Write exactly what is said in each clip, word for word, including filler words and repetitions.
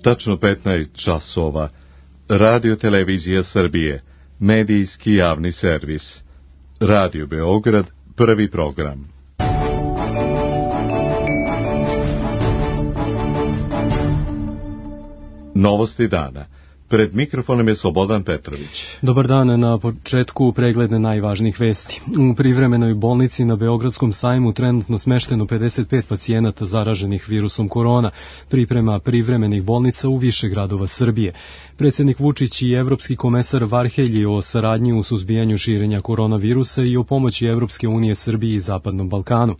Tačno petnaest časova. Radio Televizija Srbije. Medijski javni servis. Radio Beograd, prvi program. Novosti dana. Pred mikrofonom je Slobodan Petrović. Dobar dan, na početku pregled najvažnijih vesti. U privremenoj bolnici na Beogradskom sajmu trenutno smešteno pedeset pet pacijenata zaraženih virusom korona, priprema privremenih bolnica u više gradova Srbije. Predsjednik Vučić i evropski komesar Varhelji o saradnji u suzbijanju širenja koronavirusa i o pomoći Evropske unije Srbiji i Zapadnom Balkanu.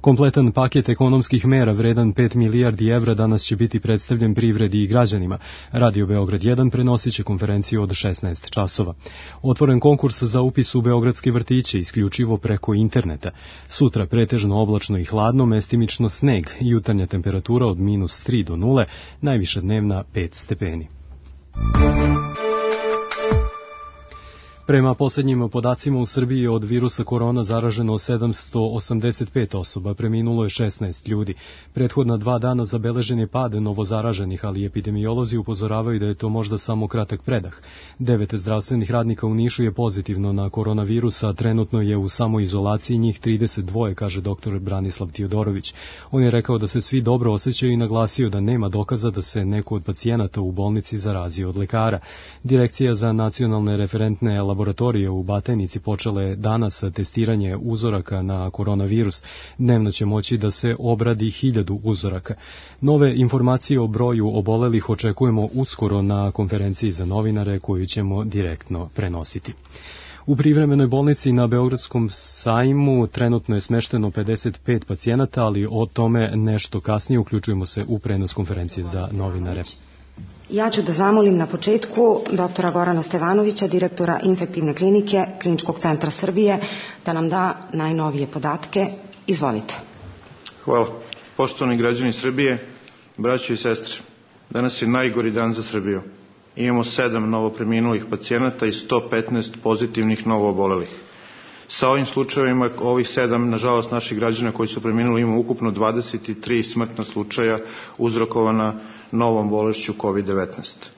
Kompletan paket ekonomskih mera vredan pet milijardi evra danas će biti predstavljen privredi i građanima. Radio Beograd jedan prenosit će konferenciju od šesnaest časova. Otvoren konkurs za upis u beogradske vrtiće isključivo preko interneta. Sutra pretežno oblačno i hladno, mestimično sneg, jutarnja temperatura od minus tri do nule, najviša dnevna pet stepeni. Prema posljednjim podacima u Srbiji od virusa korona zaraženo sedamsto osamdeset pet osoba, preminulo je šesnaest ljudi. Prethodna dva dana zabeležen je pad novozaraženih, ali epidemiolozi upozoravaju da je to možda samo kratak predah. Devet zdravstvenih radnika u Nišu je pozitivno na koronavirus, a trenutno je u samoizolaciji njih trideset dva, kaže doktor Branislav Tiodorović. On je rekao da se svi dobro osjećaju i naglasio da nema dokaza da se neko od pacijenata u bolnici zarazio od lekara. Direkcija za nacionalne referentne laboratorije u Batajnici počela je danas testiranje uzoraka na koronavirus. Dnevno će moći da se obradi hiljadu uzoraka. Nove informacije o broju obolelih očekujemo uskoro na konferenciji za novinare koju ćemo direktno prenositi. U privremenoj bolnici na Beogradskom sajmu trenutno je smešteno pedeset pet pacijenata, ali o tome nešto kasnije. Uključujemo se u prenos konferencije za novinare. Ja ću da zamolim na početku doktora Gorana Stevanovića, direktora Infektivne klinike Kliničkog centra Srbije, da nam da najnovije podatke. Izvolite. Hvala. Poštovani građani Srbije, braćo i sestre, danas je najgori dan za Srbiju. Imamo sedam novopreminulih pacijenata i sto petnaest pozitivnih novoobolelih. Sa ovim slučajevima, ovih sedam, nažalost, naših građana koji su preminuli, imamo ukupno dvadeset tri smrtna slučaja uzrokovana novom bolešću kovid devetnaest.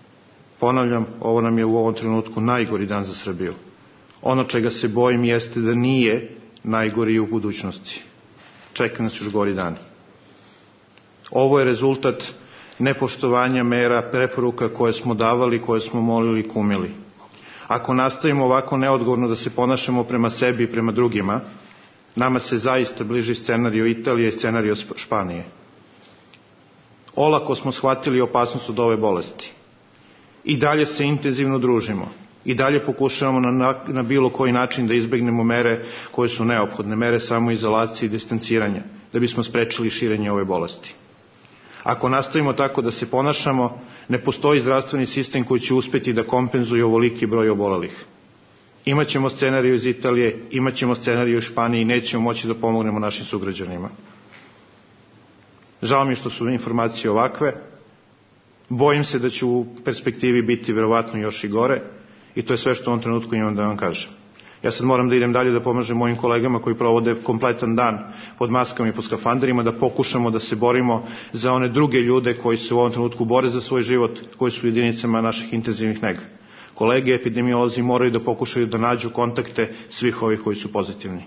Ponavljam, ovo nam je u ovom trenutku najgori dan za Srbiju. Ono čega se bojim jeste da nije najgori i u budućnosti. Čeka nas još gori dani. Ovo je rezultat nepoštovanja mera, preporuka koje smo davali, koje smo molili i kumili. Ako nastavimo ovako neodgovorno da se ponašamo prema sebi i prema drugima, nama se zaista bliži scenario Italije i scenario Španije. Olako smo shvatili opasnost od ove bolesti. I dalje se intenzivno družimo. I dalje pokušavamo na, na bilo koji način da izbegnemo mere koje su neophodne, mere samoizolacije i distanciranja, da bismo sprečili širenje ove bolesti. Ako nastavimo tako da se ponašamo, ne postoji zdravstveni sistem koji će uspjeti da kompenzuje ovoliki broj obolelih. Imaćemo scenariju iz Italije, imaćemo scenariju iz Španije i nećemo moći da pomognemo našim sugrađanima. Žao mi što su informacije ovakve. Bojim se da će u perspektivi biti verovatno još i gore i to je sve što u ovom trenutku imam da vam kažem. Ja sad moram da idem dalje da pomažem mojim kolegama koji provode kompletan dan pod maskama i pod skafanderima, da pokušamo da se borimo za one druge ljude koji se u ovom trenutku bore za svoj život, koji su u jedinicama naših intenzivnih nega. Kolege epidemiolozi moraju da pokušaju da nađu kontakte svih ovih koji su pozitivni.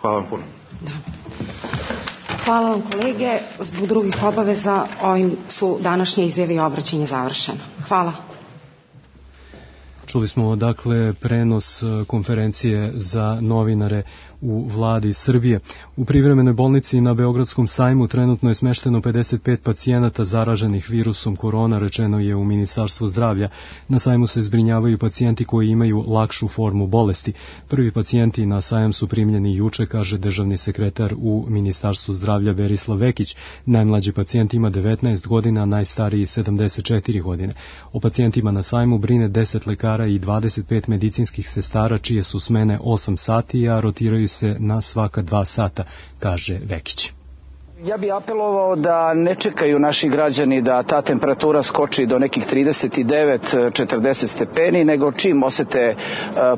Hvala vam puno. Da. Hvala vam kolege. Zbog drugih obaveza ovim su današnje izjave i obraćanje završeno. Hvala. Čuli smo dakle prenos konferencije za novinare u vladi Srbije. U privremenoj bolnici na Beogradskom sajmu trenutno je smešteno pedeset pet pacijenata zaraženih virusom korona, rečeno je u Ministarstvu zdravlja. Na sajmu se zbrinjavaju pacijenti koji imaju lakšu formu bolesti. Prvi pacijenti na sajam su primljeni juče, kaže državni sekretar u Ministarstvu zdravlja Berislav Vekić. Najmlađi pacijent ima devetnaest godina, najstariji sedamdeset četiri godine. O pacijentima na sajmu brine deset lekara i dvadeset pet medicinskih sestara, čije su smene osam sati, a rotiraju se na svaka dva sata, kaže Vekić. Ja bih apelovao da ne čekaju naši građani da ta temperatura skoči do nekih trideset devet do četrdeset stepeni, nego čim osete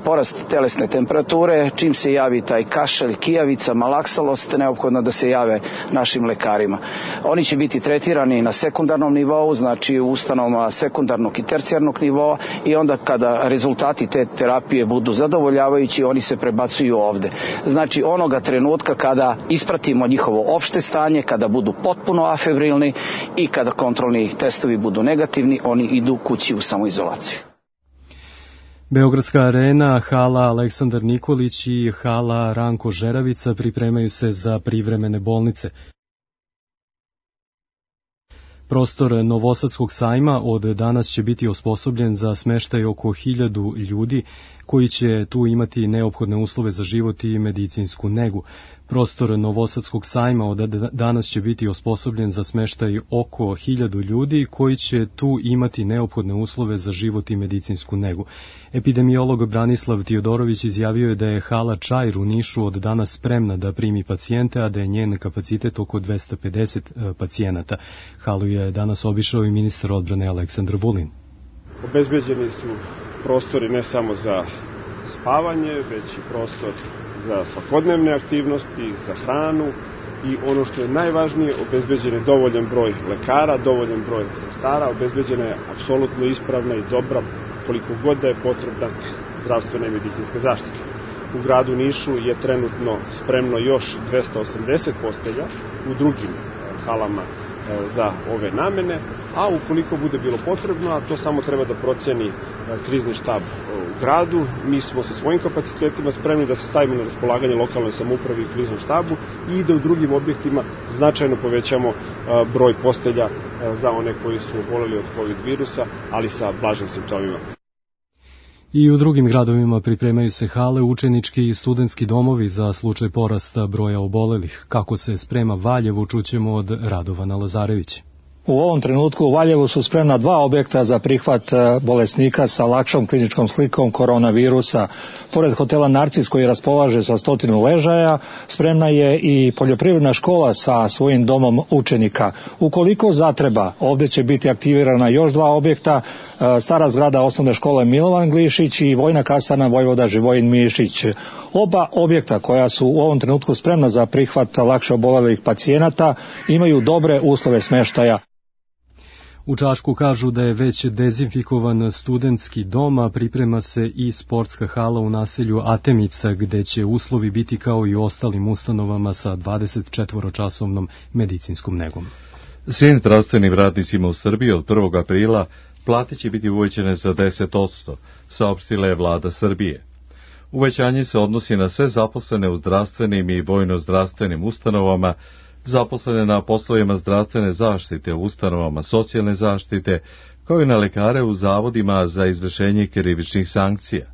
porast telesne temperature, čim se javi taj kašalj, kijavica, malaksalost, neophodno da se jave našim lekarima. Oni će biti tretirani na sekundarnom nivou, znači u ustanovama sekundarnog i tercijarnog nivoa, i onda kada rezultati te terapije budu zadovoljavajući, oni se prebacuju ovde. Znači onoga trenutka kada ispratimo njihovo opšte stanje, kada budu potpuno afebrilni i kada kontrolni testovi budu negativni, oni idu kući u samoizolaciju. Beogradska arena, hala Aleksandar Nikolić i hala Ranko Žeravica pripremaju se za privremene bolnice. Prostor Novosadskog sajma od danas će biti osposobljen za smeštaj oko hiljadu ljudi koji će tu imati neophodne uslove za život i medicinsku negu. Prostor Novosadskog sajma od danas će biti osposobljen za smeštaj oko hiljadu ljudi koji će tu imati neophodne uslove za život i medicinsku negu. Epidemiolog Branislav Tiodorović izjavio je da je hala Čair u Nišu od danas spremna da primi pacijente, a da je njen kapacitet oko dvesta pedeset pacijenata. Halu je danas obišao i ministar odbrane Aleksandar Vulin. Obezbeđeni su prostori ne samo za spavanje, već i prostor za svakodnevne aktivnosti, za hranu i ono što je najvažnije, obezbeđen je dovoljan broj lekara, dovoljan broj sestara, obezbeđena je apsolutno ispravna i dobra, koliko god da je potrebna zdravstvena i medicinska zaštita. U gradu Nišu je trenutno spremno još dvesta osamdeset postelja u drugim halama za ove namene, a ukoliko bude bilo potrebno, a to samo treba da proceni krizni štab u gradu, mi smo sa svojim kapacitetima spremni da se stavimo na raspolaganje lokalnoj samoupravi i kriznom štabu i da u drugim objektima značajno povećamo broj postelja za one koji su oboleli od COVID virusa, ali sa blažim simptomima. I u drugim gradovima pripremaju se hale, učenički i studentski domovi za slučaj porasta broja obolelih. Kako se sprema Valjevo, čućemo od Radovana Lazarevića. U ovom trenutku u Valjevu su spremna dva objekta za prihvat bolesnika sa lakšom kliničkom slikom koronavirusa. Pored hotela Narcis koji raspolaže sa stotinu ležaja, spremna je i poljoprivredna škola sa svojim domom učenika. Ukoliko zatreba, ovdje će biti aktivirana još dva objekta, stara zgrada osnovne škole Milovan Glišić i vojna kasarna Vojvoda Živojin Mišić. Oba objekta koja su u ovom trenutku spremna za prihvat lakše obolelih pacijenata imaju dobre uslove smeštaja. U Čačku kažu da je već dezinfikovan studentski dom, a priprema se i sportska hala u naselju Atemica, gde će uslovi biti kao i u ostalim ustanovama sa dvadeset četvoročasovnom medicinskom negom. Svim zdravstvenim radnicima u Srbiji od prvog aprila plate će biti uvećane za deset posto, saopštila je vlada Srbije. Uvećanje se odnosi na sve zaposlene u zdravstvenim i vojno-zdravstvenim ustanovama, zaposlene na poslovima zdravstvene zaštite u ustanovama socijalne zaštite, kao i na lekare u zavodima za izvršenje krivičnih sankcija.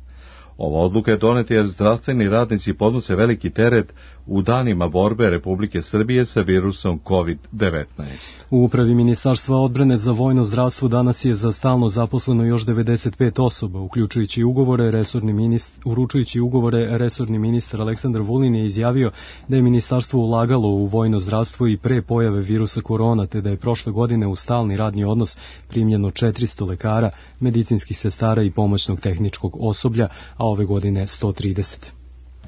Ova odluka je doneta jer zdravstveni radnici podnose veliki teret u danima borbe Republike Srbije sa virusom kovid devetnaest. U upravi Ministarstva odbrane za vojno zdravstvo danas je za stalno zaposleno još devedeset pet osoba, uključujući ugovore resorni ministar, uručujući ugovore resorni ministar Aleksandar Vulin je izjavio da je ministarstvo ulagalo u vojno zdravstvo i pre pojave virusa korona, te da je prošle godine u stalni radni odnos primljeno četiristo lekara, medicinskih sestara i pomoćnog tehničkog osoblja, a ove godine sto trideset.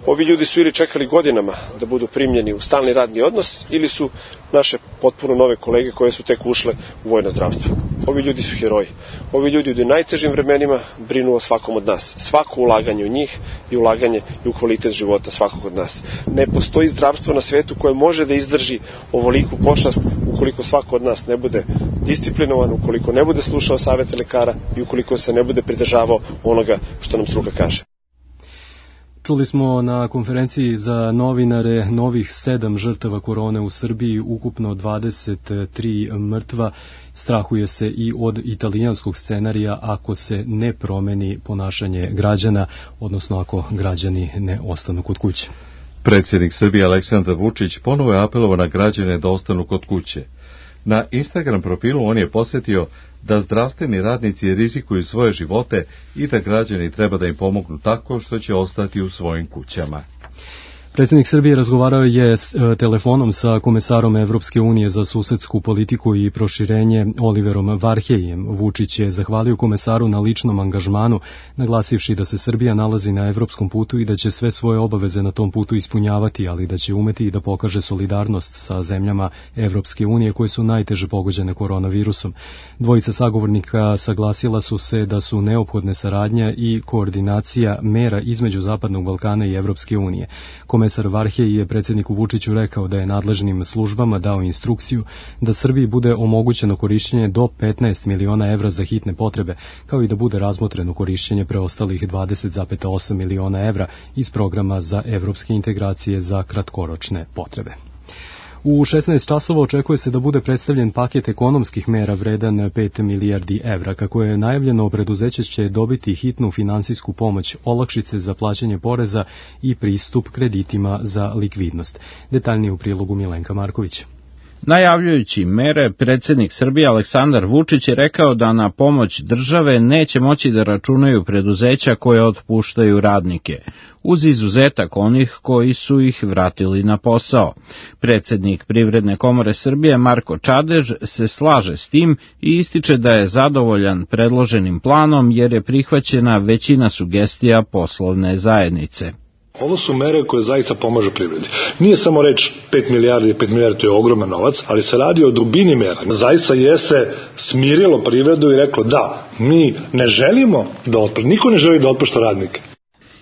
Ovi ljudi su ili čekali godinama da budu primljeni u stalni radni odnos, ili su naše potpuno nove kolege koje su tek ušle u vojno zdravstvo. Ovi ljudi su heroji. Ovi ljudi u najtežim vremenima brinu o svakom od nas. Svako ulaganje u njih i ulaganje i u kvalitet života svakog od nas. Ne postoji zdravstvo na svetu koje može da izdrži ovoliku pošast ukoliko svako od nas ne bude disciplinovan, ukoliko ne bude slušao savete lekara i ukoliko se ne bude pridržavao onoga što nam struka kaže. Čuli smo na konferenciji za novinare novih sedam žrtava korone u Srbiji, ukupno dvadeset tri mrtva. Strahuje se i od italijanskog scenarija ako se ne promeni ponašanje građana, odnosno ako građani ne ostanu kod kuće. Predsjednik Srbije Aleksandar Vučić ponovo je apelovao na građane da ostanu kod kuće. Na Instagram profilu on je posjetio da zdravstveni radnici rizikuju svoje živote i da građani treba da im pomognu tako što će ostati u svojim kućama. Predsjednik Srbije razgovarao je s, e, telefonom sa komesarom Evropske unije za susedsku politiku i proširenje Oliverom Varheljem. Vučić je zahvalio komesaru na ličnom angažmanu, naglasivši da se Srbija nalazi na evropskom putu i da će sve svoje obaveze na tom putu ispunjavati, ali da će umeti i da pokaže solidarnost sa zemljama Evropske unije koje su najteže pogođene koronavirusom. Dvojica sagovornika saglasila su se da su neophodne saradnja i koordinacija mera između Zapadnog Balkana i Evropske unije. Komesar Varhelj je predsjedniku Vučiću rekao da je nadležnim službama dao instrukciju da Srbiji bude omogućeno korišćenje do petnaest miliona evra za hitne potrebe, kao i da bude razmotreno korišćenje preostalih dvadeset zarez osam miliona evra iz programa za evropske integracije za kratkoročne potrebe. U šesnaest časova očekuje se da bude predstavljen paket ekonomskih mera vredan pet milijardi evra. Kako je najavljeno, preduzeće će dobiti hitnu finansijsku pomoć, olakšice za plaćanje poreza i pristup kreditima za likvidnost. Detaljnije u prilogu Milenka Marković. Najavljujući mere, predsjednik Srbije Aleksandar Vučić je rekao da na pomoć države neće moći da računaju preduzeća koje otpuštaju radnike, uz izuzetak onih koji su ih vratili na posao. Predsjednik Privredne komore Srbije Marko Čadež se slaže s tim i ističe da je zadovoljan predloženim planom jer je prihvaćena većina sugestija poslovne zajednice. Ovo su mere koje zaista pomažu privredi. Nije samo reč pet milijardi, pet milijardi to je ogroman novac, ali se radi o dubini mera. Zaista jeste smirilo privredu i reklo da, mi ne želimo da otpušta, niko ne želi da otpušta radnike.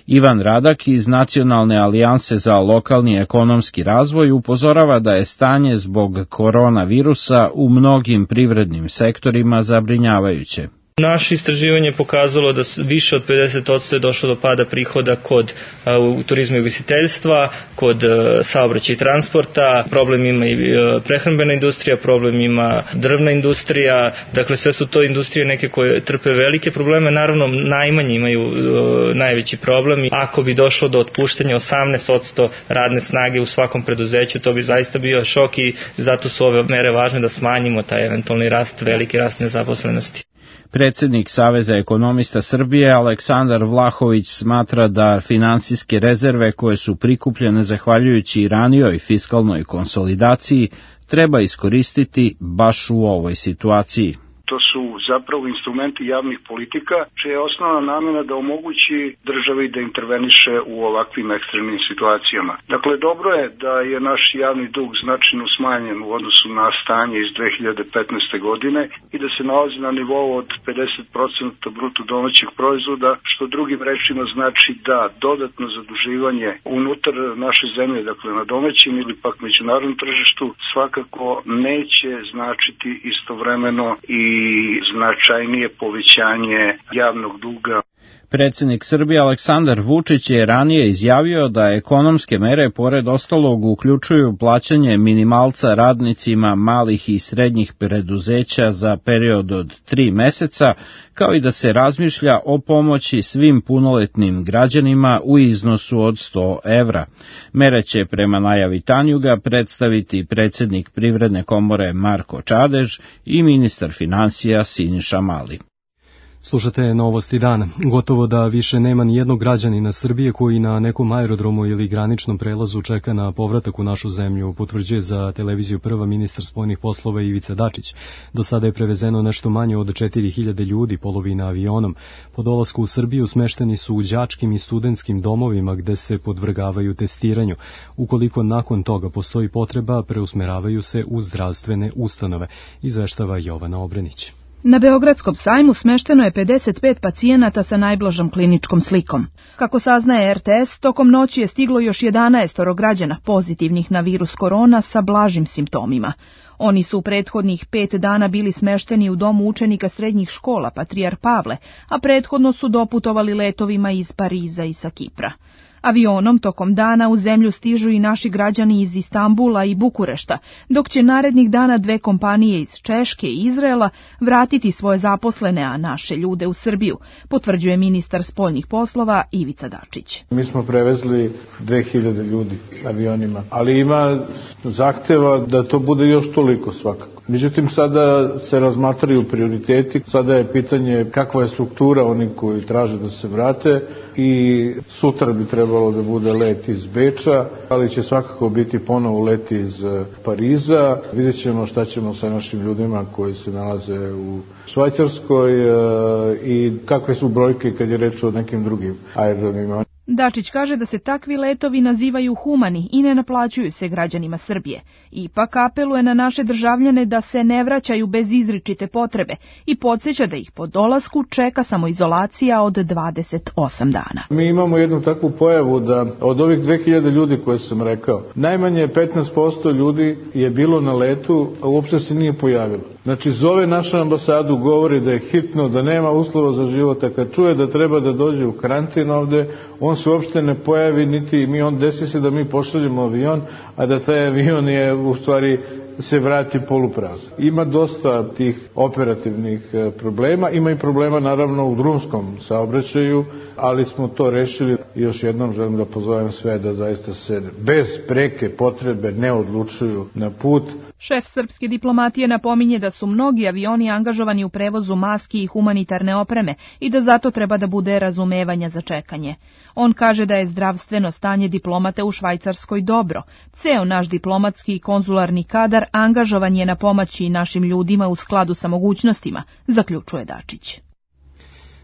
Ivan Radak iz Nacionalne alijanse za lokalni ekonomski razvoj upozorava da je stanje zbog koronavirusa u mnogim privrednim sektorima zabrinjavajuće. Naše istraživanje je pokazalo da više od pedeset posto je došlo do pada prihoda kod uh, turizma i ugostiteljstva, kod uh, saobraćaja i transporta, problem ima i uh, prehrambena industrija, problem ima drvna industrija, dakle sve su to industrije neke koje trpe velike probleme, naravno najmanje imaju uh, najveći problem. Ako bi došlo do otpuštanja osamnaest posto radne snage u svakom preduzeću, to bi zaista bio šok i zato su ove mere važne da smanjimo taj eventualni rast, veliki rast nezaposlenosti. Predsjednik Saveza ekonomista Srbije Aleksandar Vlahović smatra da finansijske rezerve koje su prikupljene zahvaljujući ranijoj fiskalnoj konsolidaciji treba iskoristiti baš u ovoj situaciji. To su zapravo instrumenti javnih politika, čija je osnovna namjena da omogući državi da interveniše u ovakvim ekstremnim situacijama. Dakle, dobro je da je naš javni dug značajno smanjen u odnosu na stanje iz dve hiljade petnaeste. godine i da se nalazi na nivou od pedeset posto bruto domaćeg proizvoda, što drugim rečima znači da dodatno zaduživanje unutar naše zemlje, dakle na domaćem ili pak međunarodnom tržištu, svakako neće značiti istovremeno i i značajnije povećanje javnog duga. Predsjednik Srbije Aleksandar Vučić je ranije izjavio da ekonomske mere pored ostalog uključuju plaćanje minimalca radnicima malih i srednjih preduzeća za period od tri meseca, kao i da se razmišlja o pomoći svim punoletnim građanima u iznosu od sto evra. Mere će prema najavi Tanjuga predstaviti predsjednik Privredne komore Marko Čadež i ministar financija Siniša Mali. Slušate Novosti dana. Gotovo da više nema ni jednog građanina Srbije koji na nekom aerodromu ili graničnom prelazu čeka na povratak u našu zemlju, potvrđuje za televiziju Prva ministar spoljnih poslova Ivica Dačić. Do sada je prevezeno nešto manje od četiri hiljade ljudi, polovina avionom. Po dolasku u Srbiju smešteni su u đačkim i studentskim domovima gde se podvrgavaju testiranju. Ukoliko nakon toga postoji potreba, preusmeravaju se u zdravstvene ustanove, izveštava Jovana Obrenić. Na Beogradskom sajmu smešteno je pedeset pet pacijenata sa najblažom kliničkom slikom. Kako saznaje er te es, tokom noći je stiglo još jedanaest građana pozitivnih na virus korona sa blažim simptomima. Oni su u prethodnih pet dana bili smešteni u domu učenika srednjih škola Patrijar Pavle, a prethodno su doputovali letovima iz Pariza i sa Kipra. Avionom tokom dana u zemlju stižu i naši građani iz Istambula i Bukurešta, dok će narednih dana dve kompanije iz Češke i Izraela vratiti svoje zaposlene, a naše ljude u Srbiju, potvrđuje ministar spoljnih poslova Ivica Dačić. Mi smo prevezli dve hiljade ljudi avionima, ali ima zahteva da to bude još toliko svakako. Međutim, sada se razmatraju prioriteti, sada je pitanje kakva je struktura onih koji traže da se vrate i sutra bi trebalo da bude let iz Beča, ali će svakako biti ponovo let iz Pariza. Vidjet ćemo šta ćemo sa našim ljudima koji se nalaze u Švajcarskoj i kakve su brojke kad je reč o nekim drugim aerodromima. Dačić kaže da se takvi letovi nazivaju humani i ne naplaćuju se građanima Srbije. Ipak apeluje na naše državljane da se ne vraćaju bez izričite potrebe i podsjeća da ih po dolasku čeka samoizolacija od dvadeset osam dana. Mi imamo jednu takvu pojavu da od ovih dve hiljade ljudi koje sam rekao, najmanje petnaest posto ljudi je bilo na letu, a uopšte se nije pojavilo. Znači, zove našu ambasadu, govori da je hitno, da nema uslova za život, a kad čuje da treba da dođe u karantin ovde, on se uopšte ne pojavi, niti mi on desi se da mi pošaljemo avion, a da taj avion je u stvari se vrati poluprazan. Ima dosta tih operativnih problema, ima i problema naravno u drumskom saobraćaju, ali smo to rešili. Još jednom želim da pozovem sve da zaista se bez preke potrebe ne odlučuju na put. Šef srpske diplomatije napominje da su mnogi avioni angažovani u prevozu maski i humanitarne opreme i da zato treba da bude razumevanja za čekanje. On kaže da je zdravstveno stanje diplomate u Švajcarskoj dobro. Ceo naš diplomatski i konzularni kadar angažovan je na pomoći našim ljudima u skladu sa mogućnostima, zaključuje Dačić.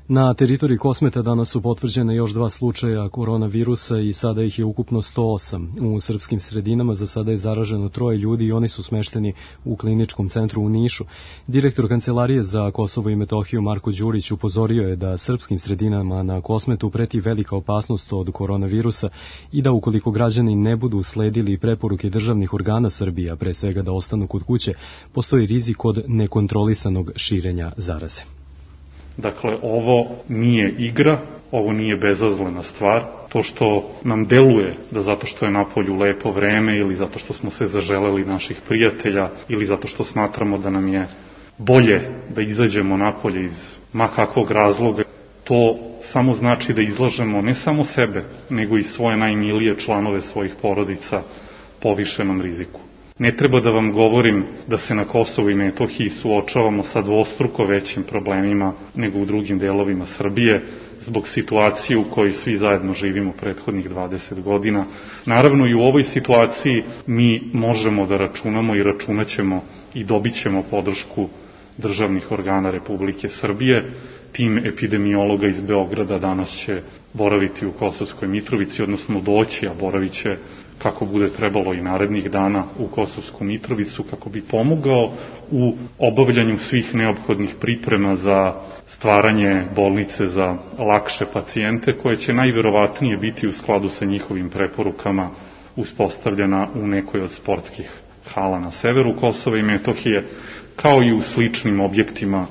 Na teritoriji Kosmeta danas su potvrđene još dva slučaja koronavirusa i sada ih je ukupno sto osam. U srpskim sredinama za sada je zaraženo troje ljudi i oni su smešteni u kliničkom centru u Nišu. Direktor Kancelarije za Kosovo i Metohiju Marko Đurić upozorio je da srpskim sredinama na Kosmetu preti velika opasnost od koronavirusa i da ukoliko građani ne budu sledili preporuke državnih organa Srbije, a pre svega da ostanu kod kuće, postoji rizik od nekontrolisanog širenja zaraze. Dakle, ovo nije igra, ovo nije bezazlena stvar. To što nam deluje da zato što je napolju lepo vreme ili zato što smo se zaželeli naših prijatelja ili zato što smatramo da nam je bolje da izađemo napolje iz ma kakvog razloga, to samo znači da izlažemo ne samo sebe, nego i svoje najmilije članove svojih porodica povišenom riziku. Ne treba da vam govorim da se na Kosovu i Metohiji suočavamo sa dvostruko većim problemima nego u drugim delovima Srbije zbog situacije u kojoj svi zajedno živimo prethodnih dvadeset godina. Naravno i u ovoj situaciji mi možemo da računamo i računaćemo i dobit ćemo podršku državnih organa Republike Srbije. Tim epidemiologa iz Beograda danas će boraviti u Kosovskoj Mitrovici, odnosno doći, a boravit će kako bude trebalo i narednih dana u Kosovsku Mitrovicu, kako bi pomogao u obavljanju svih neophodnih priprema za stvaranje bolnice za lakše pacijente, koje će najverovatnije biti u skladu sa njihovim preporukama uspostavljena u nekoj od sportskih hala na severu Kosova i Metohije, kao i u sličnim objektima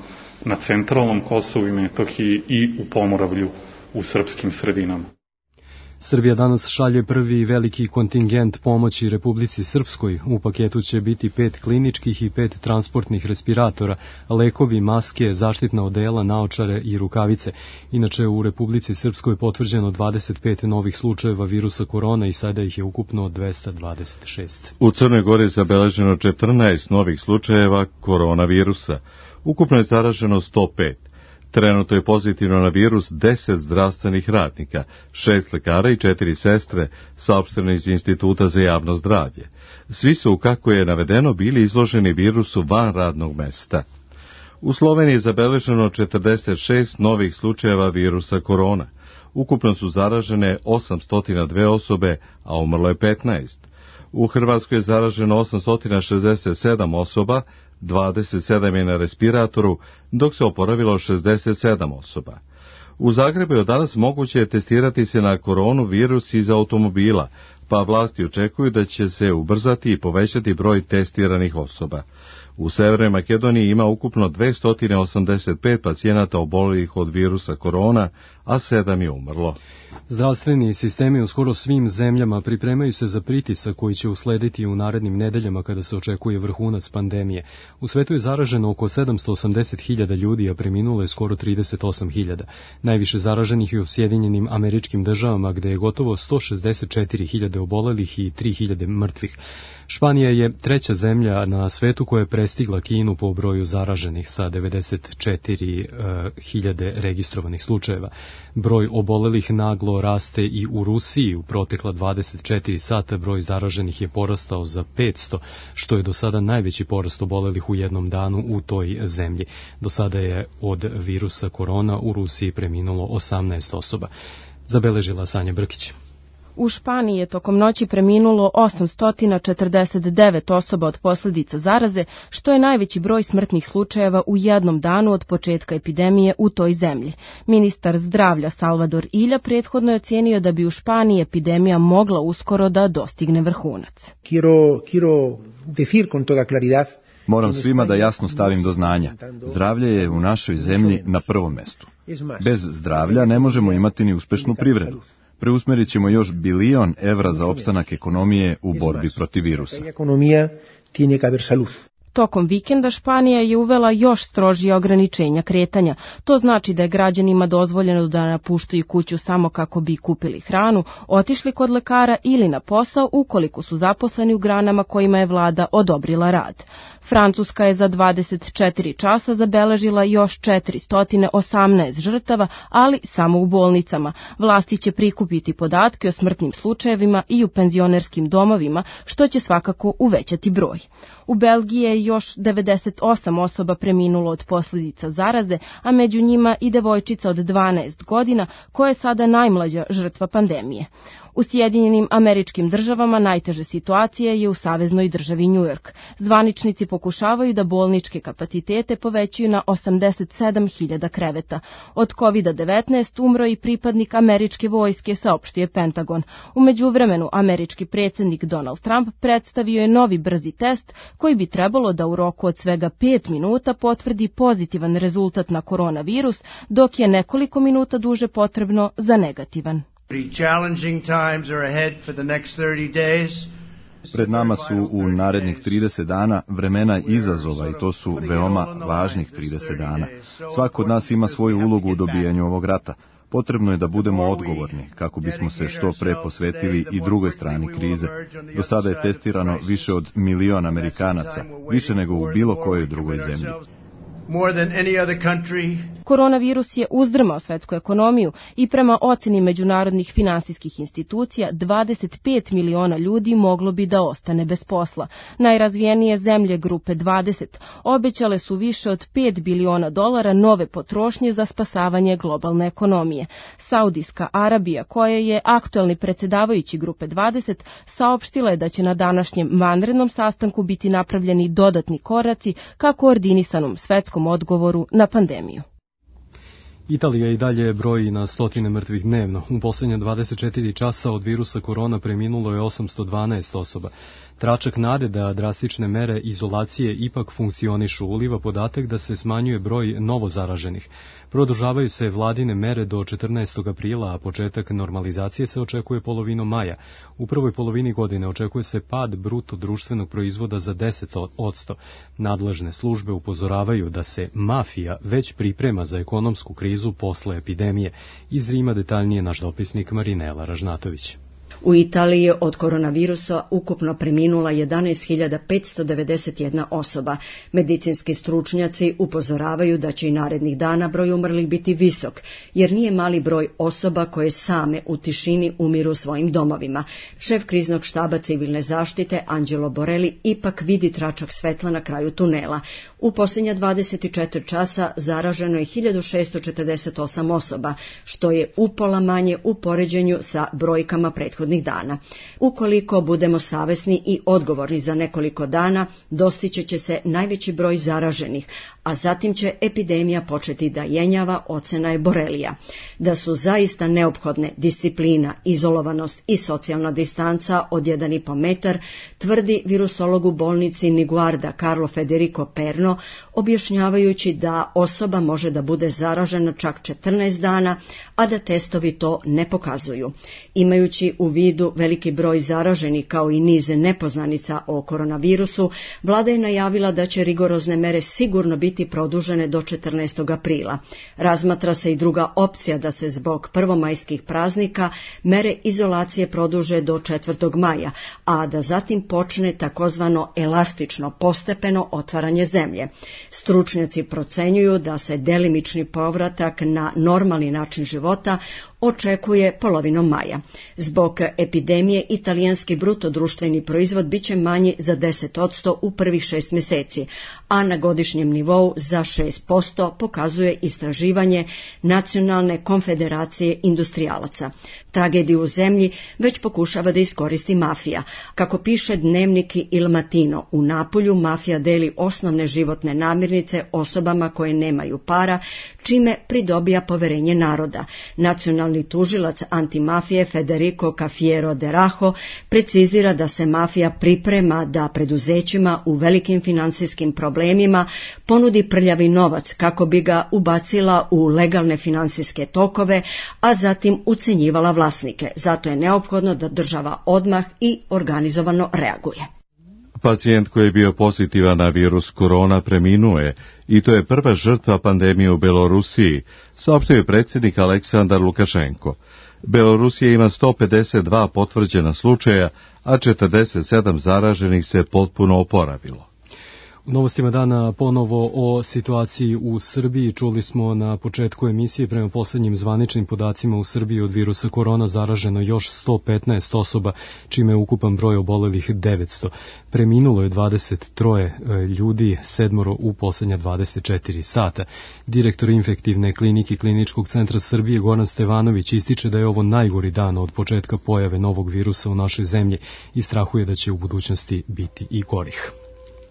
na centralnom Kosovu i Metohiji i u Pomoravlju u srpskim sredinama. Srbija danas šalje prvi veliki kontingent pomoći Republici Srpskoj. U paketu će biti pet kliničkih i pet transportnih respiratora, lekovi, maske, zaštitna odela, naočare i rukavice. Inače, u Republici Srpskoj je potvrđeno dvadeset pet novih slučajeva virusa korona i sada ih je ukupno dvesta dvadeset šest. U Crnoj Gori je zabeleženo četrnaest novih slučajeva koronavirusa. Ukupno je zaraženo sto pet. Trenutno je pozitivno na virus deset zdravstvenih radnika, šest lekara i četiri sestre, saopšteno iz Instituta za javno zdravlje. Svi su, kako je navedeno, bili izloženi virusu van radnog mesta. U Sloveniji je zabeleženo četrdeset šest novih slučajeva virusa korona. Ukupno su zaražene osamsto dve osobe, a umrlo je petnaest. U Hrvatskoj je zaraženo osamsto šezdeset sedam osoba, dvadeset sedam je na respiratoru, dok se oporavilo šezdeset sedam osoba. U Zagrebu je danas moguće testirati se na koronu virus iz automobila, pa vlasti očekuju da će se ubrzati i povećati broj testiranih osoba. U Severnoj Makedoniji ima ukupno dvesta osamdeset pet pacijenata obolelih od virusa korona, a sedam je umrlo. Zdravstveni sistemi u skoro svim zemljama pripremaju se za pritisak koji će uslediti u narednim nedeljama kada se očekuje vrhunac pandemije. U svetu je zaraženo oko sedamsto osamdeset hiljada ljudi, a preminulo je skoro trideset osam hiljada. Najviše zaraženih je u Sjedinjenim Američkim Državama, gde je gotovo sto šezdeset četiri hiljade hiljade obolelih i tri hiljade mrtvih. Španija je treća zemlja na svetu koja je prestigla Kinu po broju zaraženih sa devedeset četiri hiljade registrovanih slučajeva. Broj obolelih naglo raste i u Rusiji. U protekla dvadeset četiri sata broj zaraženih je porastao za petsto, što je do sada najveći porast obolelih u jednom danu u toj zemlji. Do sada je od virusa korona u Rusiji preminulo osamnaest osoba. Zabeležila Sanja Brkić. U Španiji je tokom noći preminulo osamsto četrdeset devet osoba od posljedica zaraze, što je najveći broj smrtnih slučajeva u jednom danu od početka epidemije u toj zemlji. Ministar zdravlja Salvador Illa prethodno je ocenio da bi u Španiji epidemija mogla uskoro da dostigne vrhunac. Quiero, quiero decir con toda claridad. Moram svima da jasno stavim do znanja. Zdravlje je u našoj zemlji na prvom mestu. Bez zdravlja ne možemo imati ni uspešnu privredu. Preusmerit ćemo još bilion evra za opstanak ekonomije u borbi protiv virusa. Tokom vikenda Španija je uvela još strožije ograničenja kretanja. To znači da je građanima dozvoljeno da napuštaju kuću samo kako bi kupili hranu, otišli kod lekara ili na posao ukoliko su zaposleni u granama kojima je vlada odobrila rad. Francuska je za dvadeset četiri časa zabeležila još četiristo osamnaest žrtava, ali samo u bolnicama. Vlasti će prikupiti podatke o smrtnim slučajevima i u penzionerskim domovima, što će svakako uvećati broj. U Belgiji je još devedeset osam osoba preminulo od posljedica zaraze, a među njima i devojčica od dvanaest godina, koja je sada najmlađa žrtva pandemije. U Sjedinjenim Američkim Državama najteže situacije je u saveznoj državi New York. Zvaničnici pokušavaju da bolničke kapacitete povećaju na osamdeset sedam hiljada kreveta. Od kovida devetnaest umro i pripadnik američke vojske, saopštio Pentagon. U međuvremenu američki predsjednik Donald Trump predstavio je novi brzi test koji bi trebalo da u roku od svega pet minuta potvrdi pozitivan rezultat na koronavirus, dok je nekoliko minuta duže potrebno za negativan. Pred nama su u narednih trideset dana vremena izazova i to su veoma važnih trideset dana. Svako od nas ima svoju ulogu u dobijanju ovog rata. Potrebno je da budemo odgovorni kako bismo se što pre posvetili i drugoj strani krize. Do sada je testirano više od milion Amerikanaca, više nego u bilo kojoj drugoj zemlji. Koronavirus je uzdrmao svetsku ekonomiju i prema oceni međunarodnih finansijskih institucija dvadeset pet miliona ljudi moglo bi da ostane bez posla. Najrazvijenije zemlje grupe dvadeset obećale su više od pet biliona dolara nove potrošnje za spasavanje globalne ekonomije. Saudijska Arabija, koja je aktuelni predsjedavajući grupe dvadeset, saopštila je da će na današnjem vanrednom sastanku biti napravljeni dodatni koraci ka koordinisanom svetskom odgovoru na pandemiju. Italija i dalje broji na stotine mrtvih dnevno. U posljednje dvadeset četiri časa od virusa korona preminulo je osamsto dvanaest osoba. Tračak nade da drastične mere izolacije ipak funkcionišu uliva podatak da se smanjuje broj novozaraženih. Produžavaju se vladine mere do četrnaestog aprila, a početak normalizacije se očekuje polovinom maja. U prvoj polovini godine očekuje se pad bruto društvenog proizvoda za deset posto. Nadležne službe upozoravaju da se mafija već priprema za ekonomsku krizu posle epidemije. Iz Rima detaljnije naš dopisnik Marinela Ražnatović. U Italiji je od koronavirusa ukupno preminula jedanaest hiljada petsto devedeset jedna osoba. Medicinski stručnjaci upozoravaju da će i narednih dana broj umrlih biti visok, jer nije mali broj osoba koje same u tišini umiru u svojim domovima. Šef kriznog štaba civilne zaštite Angelo Borelli ipak vidi tračak svetla na kraju tunela. U posljednja dvadeset četiri časa zaraženo je hiljadu šesto četrdeset osam osoba, što je upola manje u poređenju sa brojkama prethodnih dana. Ukoliko budemo savesni i odgovorni za nekoliko dana, dostići će se najveći broj zaraženih, a zatim će epidemija početi da jenjava, ocena je Borelija. Da su zaista neophodne disciplina, izolovanost i socijalna distanca od jedan i po metar, tvrdi virusolog u bolnici Niguarda Carlo Federico Perno, objašnjavajući da osoba može da bude zaražena čak četrnaest dana, a da testovi to ne pokazuju. Imajući u vidu veliki broj zaraženih kao i niz nepoznanica o koronavirusu, vlada je najavila da će rigorozne mere sigurno biti biti produžene do četrnaestog aprila. Razmatra se i druga opcija da se zbog prvomajskih praznika mere izolacije produže do četvrtog maja, a da zatim počne takozvano elastično postepeno otvaranje zemlje. Stručnjaci procenjuju da se delimični povratak na normalni način života očekuje polovinom maja. Zbog epidemije italijanski bruto društveni proizvod biće manji za deset posto u prvih šest mjeseci, a na godišnjem nivou za šest posto pokazuje istraživanje Nacionalne konfederacije industrijalaca. Tragediju u zemlji već pokušava da iskoristi mafija. Kako piše dnevnik Il Mattino, u Napolju mafija deli osnovne životne namirnice osobama koje nemaju para, čime pridobija poverenje naroda. Nacionalni tužilac antimafije Federico Cafiero de Rajo precizira da se mafija priprema da preduzećima u velikim financijskim problemima ponudi prljavi novac kako bi ga ubacila u legalne financijske tokove, a zatim ucenjivala vlasnike. Zato je neophodno da država odmah i organizovano reaguje. Pacijent koji je bio pozitivan na virus korona preminuo je i to je prva žrtva pandemije u Belorusiji, saopštio je predsjednik Aleksandar Lukašenko. Belorusija ima sto pedeset dva potvrđena slučaja, a četrdeset sedam zaraženih se potpuno oporavilo. U novostima dana ponovo o situaciji u Srbiji. Čuli smo na početku emisije, prema posljednjim zvaničnim podacima u Srbiji od virusa korona zaraženo još sto petnaest osoba, čime je ukupan broj obolelih devetsto. Preminulo je dvadeset tri ljudi, sedmoro u posljednja dvadeset četiri sata. Direktor infektivne klinike Kliničkog centra Srbije Goran Stevanović ističe da je ovo najgori dan od početka pojave novog virusa u našoj zemlji i strahuje da će u budućnosti biti i gorih.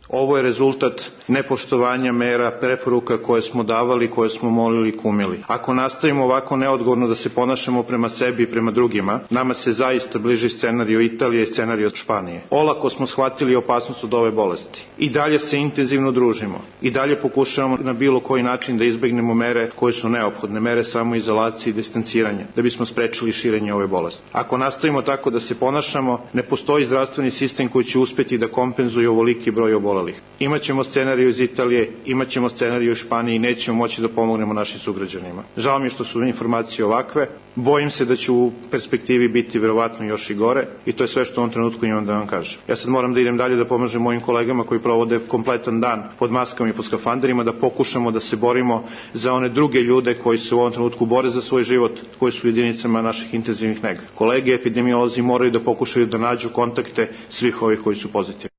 Ovo je rezultat nepoštovanja mera, preporuka koje smo davali, koje smo molili i kumili. Ako nastavimo ovako neodgovorno da se ponašamo prema sebi i prema drugima, nama se zaista bliži scenario Italije i scenario Španije. Olako smo shvatili opasnost od ove bolesti. I dalje se intenzivno družimo. I dalje pokušavamo na bilo koji način da izbegnemo mere koje su neophodne, mere samoizolacije i distanciranja, da bismo sprečili širenje ove bolesti. Ako nastavimo tako da se ponašamo, ne postoji zdravstveni sistem koji će uspjeti da kompenzuje ovoliki broj obolelih. Imaćemo scenariju iz Italije, imaćemo scenariju iz Španije i nećemo moći da pomognemo našim sugrađanima. Žao mi je što su informacije ovakve, bojim se da će u perspektivi biti verovatno još i gore i to je sve što u ovom trenutku imam da vam kažem. Ja sad moram da idem dalje da pomažem mojim kolegama koji provode kompletan dan pod maskama i pod skafanderima, da pokušamo da se borimo za one druge ljude koji se u ovom trenutku bore za svoj život, koji su u jedinicama naših intenzivnih nega. Kolege epidemiolozi moraju da pokušaju da nađu kontakte svih ovih koji su pozitivni.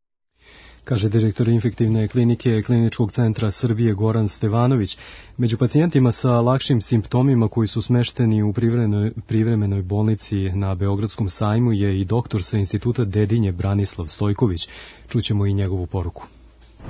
Kaže direktor infektivne klinike Kliničkog centra Srbije Goran Stevanović. Među pacijentima sa lakšim simptomima koji su smešteni u privremenoj, privremenoj bolnici na Beogradskom sajmu je i doktor sa instituta Dedinje Branislav Stojković. Čućemo i njegovu poruku.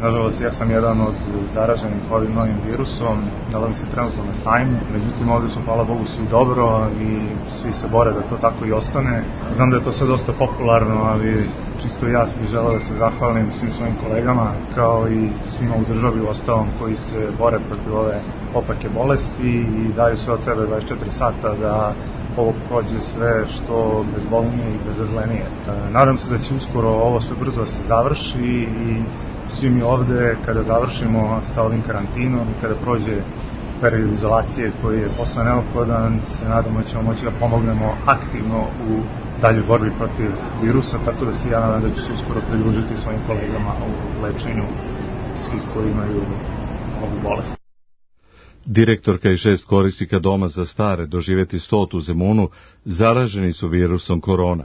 Nažalost, ja sam jedan od zaraženih ovim novim virusom, nalazim se trenutno na sajmu, međutim ovdje su, hvala Bogu, svi dobro i svi se bore da to tako i ostane. Znam da je to sve dosta popularno, ali čisto ja bih želeo da se zahvalim svim svojim kolegama, kao i svima u državi u ostalom koji se bore protiv ove opake bolesti i daju sve od sebe dvadeset četiri sata da ovo prođe sve što bezbolnije i bezazlenije. Nadam se da će uskoro ovo sve brzo da se završi i svi mi ovde, kada završimo sa ovim karantinom i kada prođe period izolacije koji je posle neophodan, se nadamo da ćemo moći da pomognemo aktivno u daljoj borbi protiv virusa, tako da se ja nadam da ću se uskoro pridružiti svojim kolegama u lečenju svih koji imaju ovu bolest. Direktorka i šest korisnika doma za stare doživjeti stotu Zemunu zaraženi su virusom korona.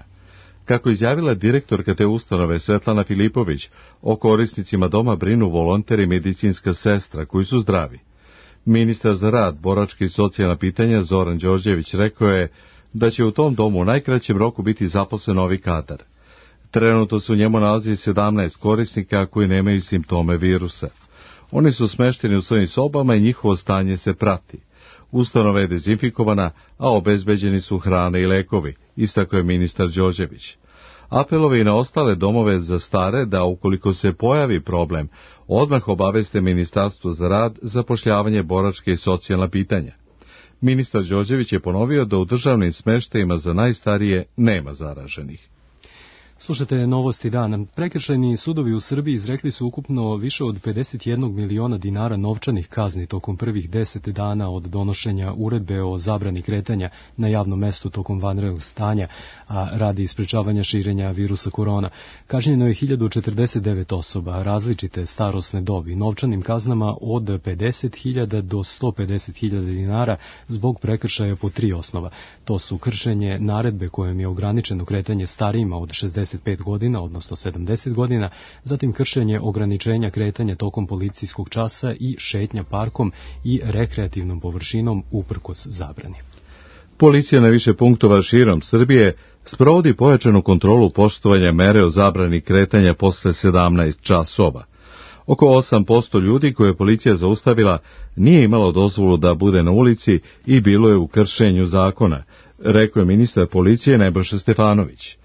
Kako izjavila direktorka te ustanove Svetlana Filipović, o korisnicima doma brinu volonteri i medicinska sestra koji su zdravi. Ministar za rad, boračke i socijalna pitanja Zoran Đorđević rekao je da će u tom domu u najkraćem roku biti zaposlen novi kadar. Trenutno se u njemu nalazi sedamnaest korisnika koji nemaju simptome virusa. Oni su smešteni u svojim sobama i njihovo stanje se prati. Ustanova je dezinfikovana, a obezbeđeni su hrane i lekovi, istakao je ministar Đorđević. Apelovi na ostale domove za stare da ukoliko se pojavi problem, odmah obaveste Ministarstvo za rad, zapošljavanje, boračke i socijalna pitanja. Ministar Đorđević je ponovio da u državnim smeštajima za najstarije nema zaraženih. Slušajte novosti dana. Prekršajni sudovi u Srbiji izrekli su ukupno više od pedeset jedan miliona dinara novčanih kazni tokom prvih deset dana od donošenja uredbe o zabrani kretanja na javnom mestu tokom vanrednog stanja, a radi sprečavanja širenja virusa korona. Kažnjeno je hiljadu četrdeset devet osoba, različite starosne dobi, novčanim kaznama od pedeset hiljada do sto pedeset hiljada dinara zbog prekršaja po tri osnova. To su kršenje naredbe kojom je ograničeno kretanje starijima od šezdeset pet godina, odnosno sedamdeset godina, zatim kršenje ograničenja kretanja tokom policijskog časa i šetnja parkom i rekreativnom površinom uprkos zabrani. Policija na više punktova širom Srbije sprovodi pojačanu kontrolu poštovanja mere o zabrani kretanja posle sedamnaest časova. Oko osam posto ljudi koje je policija zaustavila nije imalo dozvolu da bude na ulici i bilo je u kršenju zakona, rekao je ministar policije Nebojša Stefanović.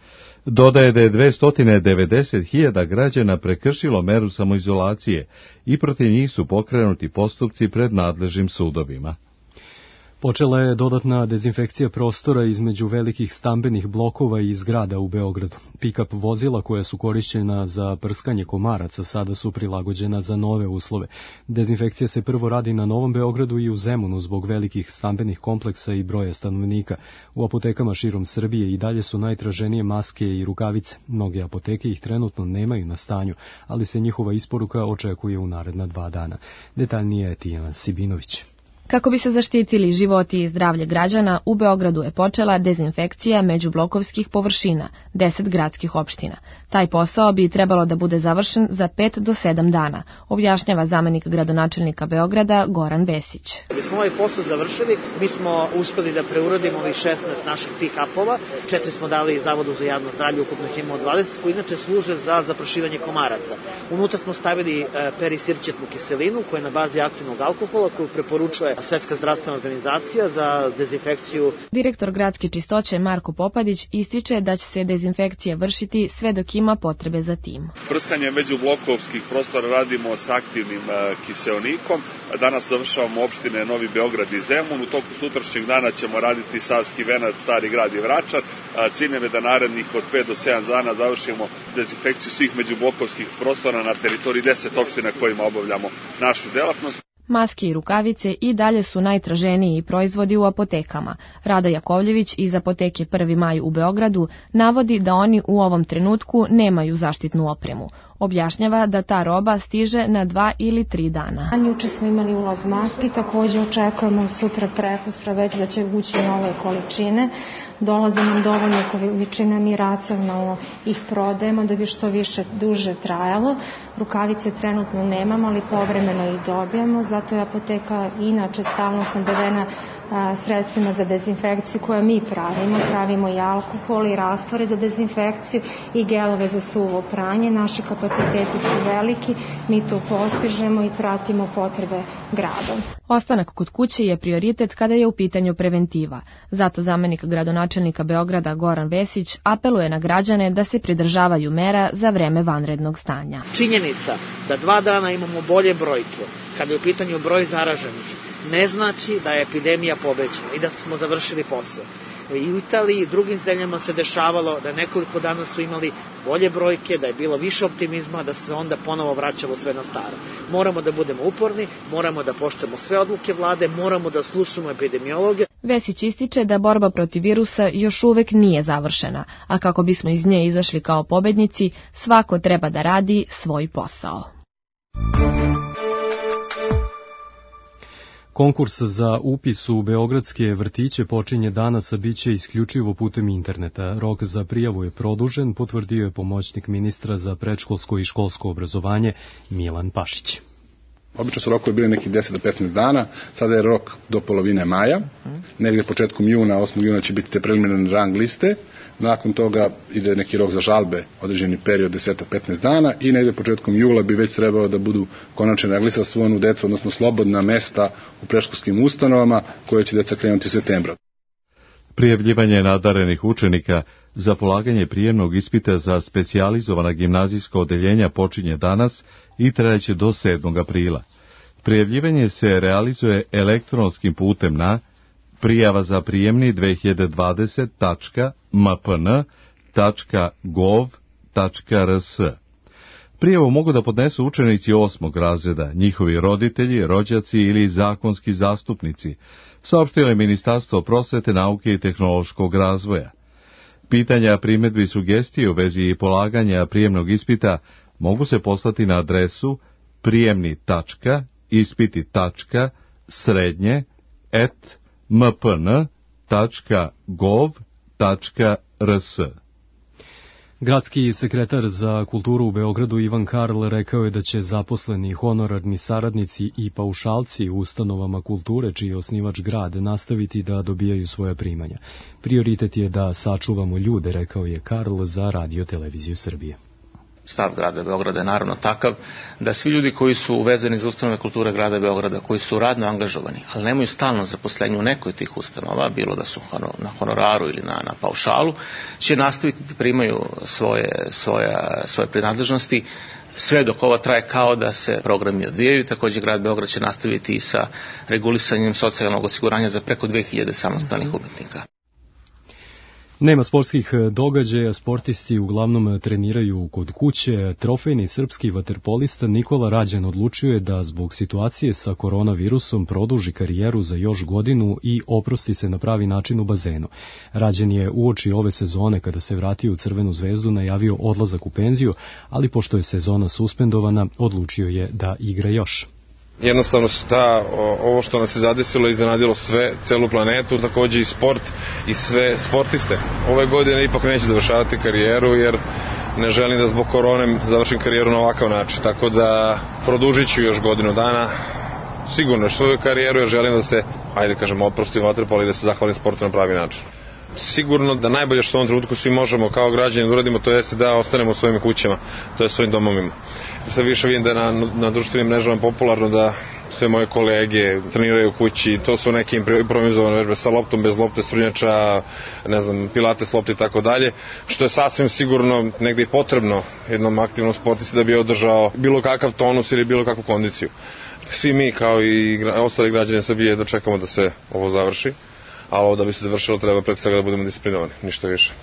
Dodaje da je dvesta devedeset hiljada građana prekršilo meru samoizolacije i protiv njih su pokrenuti postupci pred nadležnim sudovima. Počela je dodatna dezinfekcija prostora između velikih stambenih blokova i zgrada u Beogradu. Pick-up vozila koja su korišćena za prskanje komaraca sada su prilagođena za nove uslove. Dezinfekcija se prvo radi na Novom Beogradu i u Zemunu zbog velikih stambenih kompleksa i broja stanovnika. U apotekama širom Srbije i dalje su najtraženije maske i rukavice. Mnoge apoteke ih trenutno nemaju na stanju, ali se njihova isporuka očekuje u naredna dva dana. Detaljnije je Tijana Sibinović. Kako bi se zaštitili životi i zdravlje građana, u Beogradu je počela dezinfekcija međublokovskih površina, deset gradskih opština. Taj posao bi trebalo da bude završen za pet do sedam dana, objašnjava zamenik gradonačelnika Beograda Goran Vesić. Da bismo ovaj posao završili, mi smo uspeli da preuradimo ovih šesnaest naših pick-upova, četiri smo dali Zavodu za javno zdravlje, ukupno ih imamo dvadeset, koji inače služe za zaprašivanje komaraca. Unutra smo stavili perisirćetnu kiselinu, koja je na bazi aktivnog alkohola, koju preporučuje Svetska zdravstvena organizacija za dezinfekciju. Direktor gradske čistoće Marko Popadić ističe da će se dezinfekcija vršiti sve dok ima potrebe za tim. Prskanje međublokovskih prostora radimo s aktivnim kiseonikom. Danas završavamo opštine Novi Beograd i Zemun. U toku sutrašnjeg dana ćemo raditi Savski Venac, Stari Grad i Vračar. Cilj je da narednih od pet do sedam dana završimo dezinfekciju svih međublokovskih prostora na teritoriji deset opština kojima obavljamo našu delatnost. Maske i rukavice i dalje su najtraženiji proizvodi u apotekama. Rada Jakovljević iz apoteke Prvi maj u Beogradu navodi da oni u ovom trenutku nemaju zaštitnu opremu. Objašnjava da ta roba stiže na dva ili tri dana. Juče smo imali ulaz maski, također očekujemo sutra prekustra već da će ući nove količine. Dolaze nam dovoljne količine, mi racionalno ih prodajemo da bi što više duže trajalo. Rukavice trenutno nemamo, ali povremeno ih dobijamo, zato je apoteka inače stalno snabdevena sredstvima za dezinfekciju koje mi pravimo. Pravimo i alkohol i rastvore za dezinfekciju i gelove za suvo pranje. Naši kapaciteti su veliki, mi to postižemo i pratimo potrebe grada. Ostanak kod kuće je prioritet kada je u pitanju preventiva. Zato zamenik gradonačelnika Beograda Goran Vesić apeluje na građane da se pridržavaju mera za vreme vanrednog stanja. Činjenica da dva dana imamo bolje brojke kada je u pitanju broj zaraženih ne znači da je epidemija pobeđena i da smo završili posao. I u Italiji i drugim zemljama se dešavalo da nekoliko dana su imali bolje brojke, da je bilo više optimizma, da se onda ponovo vraćalo sve na staro. Moramo da budemo uporni, moramo da poštujemo sve odluke vlade, moramo da slušamo epidemiologe. Vesić ističe da borba protiv virusa još uvek nije završena, a kako bismo iz nje izašli kao pobednici, svako treba da radi svoj posao. Konkurs za upis u beogradske vrtiće počinje danas, a bit će isključivo putem interneta. Rok za prijavu je produžen, potvrdio je pomoćnik ministra za predškolsko i školsko obrazovanje Milan Pašić. Obično su rokovi bili nekih deset do petnaest dana, sada je rok do polovine maja, negdje početkom juna, osmog juna će biti te preliminarne rang liste, nakon toga ide neki rok za žalbe, određeni period deset do petnaest dana i negdje početkom jula bi već trebalo da budu konačne rang liste za svu onu decu, odnosno slobodna mesta u predškolskim ustanovama koje će deca krenuti septembra. Prijavljivanje nadarenih učenika za polaganje prijemnog ispita za specijalizovana gimnazijska odeljenja počinje danas i trajaće do sedmog aprila. Prijavljivanje se realizuje elektronskim putem na prijava za prijemni dve hiljade dvadeset tačka m p n tačka gov tačka r s. Prijavu mogu da podnesu učenici osmog razreda, njihovi roditelji, rođaci ili zakonski zastupnici, saopštilo je Ministarstvo prosvete, nauke i tehnološkog razvoja. Pitanja, primedbi i sugestije u vezi polaganja prijemnog ispita mogu se poslati na adresu prijemni tačka ispiti tačka srednje et m p n tačka gov tačka r s. Gradski sekretar za kulturu u Beogradu Ivan Karl rekao je da će zaposleni, honorarni saradnici i paušalci u ustanovama kulture, čiji je osnivač grad, nastaviti da dobijaju svoja primanja. Prioritet je da sačuvamo ljude, rekao je Karl za Radio Televiziju Srbije. Stav grada Beograda je naravno takav da svi ljudi koji su uvezeni za ustanove kulture grada Beograda, koji su radno angažovani, ali nemaju stalno zaposlenje u nekoj od tih ustanova, bilo da su na honoraru ili na, na paušalu, će nastaviti da primaju svoje, svoja, svoje prinadležnosti sve dok ova traje kao da se programi odvijaju. Također grad Beograd će nastaviti i sa regulisanjem socijalnog osiguranja za preko dve hiljade samostalnih umetnika. Nema sportskih događaja, sportisti uglavnom treniraju kod kuće. Trofejni srpski vaterpolista Nikola Rađan odlučio je da zbog situacije sa koronavirusom produži karijeru za još godinu i oprosti se na pravi način u bazenu. Rađan je uoči ove sezone, kada se vratio u Crvenu zvezdu, najavio odlazak u penziju, ali pošto je sezona suspendovana, odlučio je da igra još. Jednostavno su ta, ovo što nas je zadesilo, iznenadilo sve, celu planetu, također i sport i sve sportiste. Ove godine ipak neću završavati karijeru jer ne želim da zbog korone završim karijeru na ovakav način, tako da produžit ću još godinu dana, sigurno svoju karijeru jer želim da se, ajde kažem, oprostim vaterpolu i da se zahvalim sportu na pravi način. Sigurno da najbolje što u ovom trenutku svi možemo kao građani da uradimo, to jeste da ostanemo u svojim kućama, to je svojim domovima. Sve više vidim da je na, na društvenim mrežama popularno da sve moje kolege treniraju u kući, to su neke improvizovane vežbe sa loptom, bez lopte, strunjača, ne znam, pilates lopte i tako dalje, što je sasvim sigurno negde i potrebno jednom aktivnom sportisti da bi održao bilo kakav tonus ili bilo kakvu kondiciju. Svi mi kao i ostali građani Srbije da čekamo da se ovo završi, a ovo da bi se završilo treba pred svega da budemo disciplinovani, ništa više.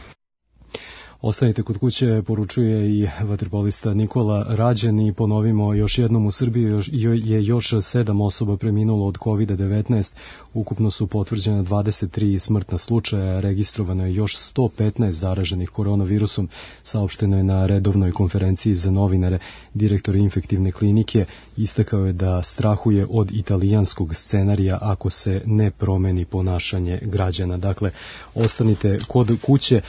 Ostanite kod kuće, poručuje i vaterpolista Nikola Rađan i ponovimo još jednom, u Srbiji je još sedam osoba preminulo od kovid devetnaest, ukupno su potvrđene dvadeset tri smrtna slučaja, registrovano je još sto petnaest zaraženih koronavirusom, saopšteno je na redovnoj konferenciji za novinare. Direktor infektivne klinike istakao je da strahuje od italijanskog scenarija ako se ne promeni ponašanje građana. Dakle, ostanite kod kuće.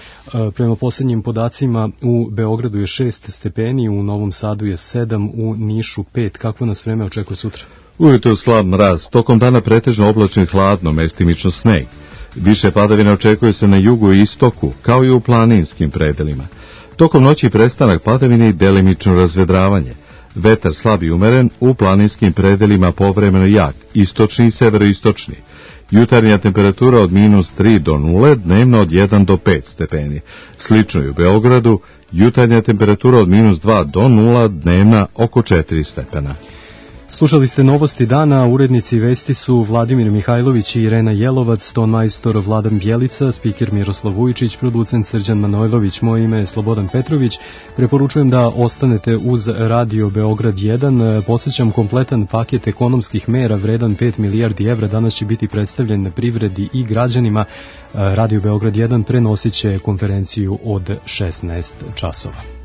Prema posljednjim podacima u Beogradu je šest stepeni, u Novom Sadu je sedam, u Nišu pet. Kakvo nas vreme očekuje sutra? Ujutro slab mraz, tokom dana pretežno oblačno i hladno, mestimično sneg. Više padavina očekuje se na jugu i istoku, kao i u planinskim predelima. Tokom noći prestanak padavine i delimično razvedravanje. Vetar slab i umeren, u planinskim predelima povremeno jak, istočni i severoistočni. Jutarnja temperatura od minus tri do nule, dnevno od jedan do pet stepeni. Slično i u Beogradu, jutarnja temperatura od minus dva do nula, dnevna oko četiri stepena. Slušali ste novosti dana, urednici vesti su Vladimir Mihajlović i Irena Jelovac, ton majstor Vladan Bjelica, spiker Miroslav Vujičić, producent Srđan Manojlović, moje ime je Slobodan Petrović. Preporučujem da ostanete uz Radio Beograd jedan. Posjećam kompletan paket ekonomskih mera vredan pet milijardi evra. Danas će biti predstavljen na privredi i građanima. Radio Beograd jedan prenosit će konferenciju od šesnaest časova.